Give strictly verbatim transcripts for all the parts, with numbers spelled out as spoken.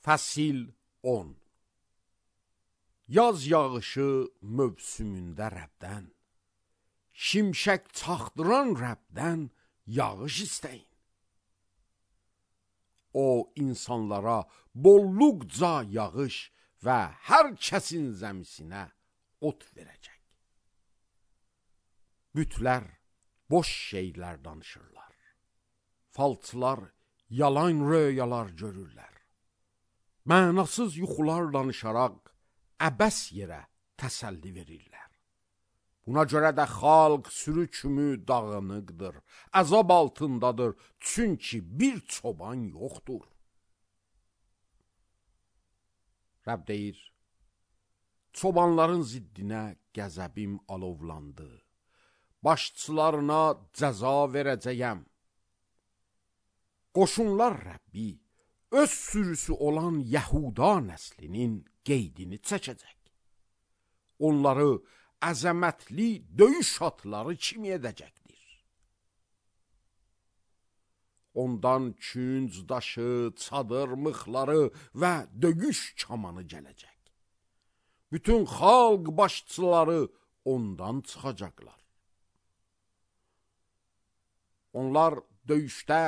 Fəsil on. Yaz yağışı mövsümündə Rəbdən, şimşək çaxdıran Rəbdən yağış istəyin. O insanlara bolluqca yağış və hər kəsin zəmisinə ot verəcək. Bütlər boş şeylər danışırlar. Falçılar yalan röyalar görürlər. Mənasız yuxular danışaraq əbəs yerə təsəlli verirlər. Buna görə də xalq sürü kimi dağınıqdır, əzab altındadır, çünki bir çoban yoxdur. Rəbb deyir, çobanların ziddinə qəzəbim alovlandı, başçılarına cəza verəcəyəm. Qoşunlar Rəbbi öz sürüsü olan Yəhuda nəslinin qeydini çəkəcək. Onları əzəmətli döyüş atları kimi edəcəkdir. Ondan künc daşı, çadır mıxları və döyüş kamanı gələcək. Bütün xalq başçıları ondan çıxacaqlar. Onlar döyüşdə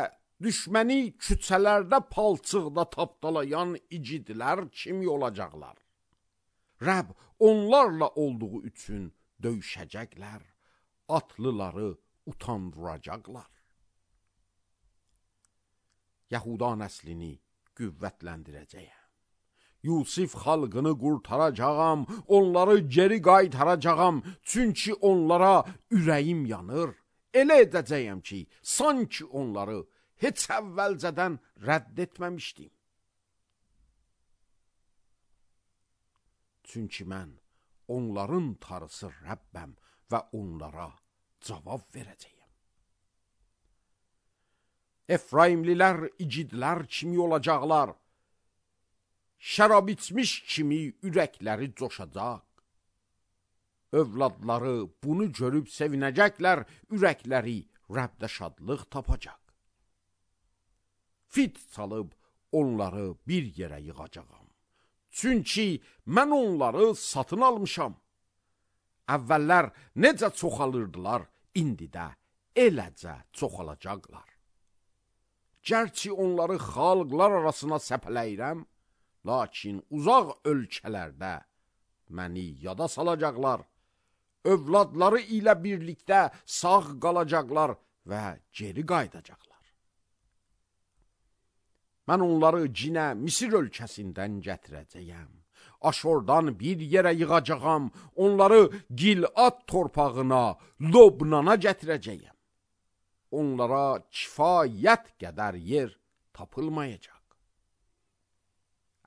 düşməni küçələrdə palçıqda tapdalayan icidlər kimi olacaqlar. Rəbb onlarla olduğu üçün döyüşəcəklər, atlıları utandıracaqlar. Yəhuda nəslini qüvvətləndirəcəyəm. Yusif xalqını qurtaracağam, onları geri qaytaracağam, çünki onlara ürəyim yanır. Elə edəcəyəm ki, sanki onları heç əvvəlcədən rədd etməmişdim. Çünki mən onların tarısı Rəbbəm və onlara cavab verəcəyəm. Efraimlilər icidlər kimi olacaqlar. Şərab içmiş kimi ürəkləri coşacaq. Övladları bunu görüb sevinəcəklər, ürəkləri Rəbdə şadlıq tapacaq. Fit çalıb onları bir yerə yığacağam. Çünki mən onları satın almışam. Əvvəllər necə çoxalırdılar, indi də eləcə çoxalacaqlar. Gərçi onları xalqlar arasına səpələyirəm, lakin uzaq ölkələrdə məni yada salacaqlar. Övladları ilə birlikdə sağ qalacaqlar və geri qayıdacaqlar. Mən onları cinə Misir ölkəsindən gətirəcəyəm. Aşordan bir yerə yığacağam, onları Gilad torpağına, Lobnana gətirəcəyəm. Onlara kifayət qədər yer tapılmayacaq.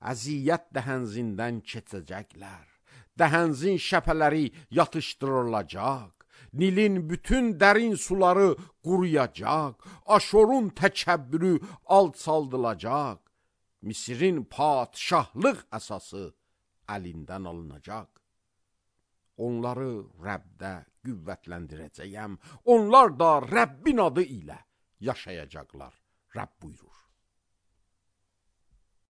Əziyyət dəhənzindən keçəcəklər. Dəhənzin şəpələri yatışdırılacaq. Nilin bütün dərin suları quruyacaq. Aşorun təkəbbürü alçaldılacaq. Misirin padşahlıq əsası əlindən alınacaq. Onları Rəbdə qüvvətləndirəcəyəm. Onlar da Rəbbin adı ilə yaşayacaqlar. Rəbb buyurur.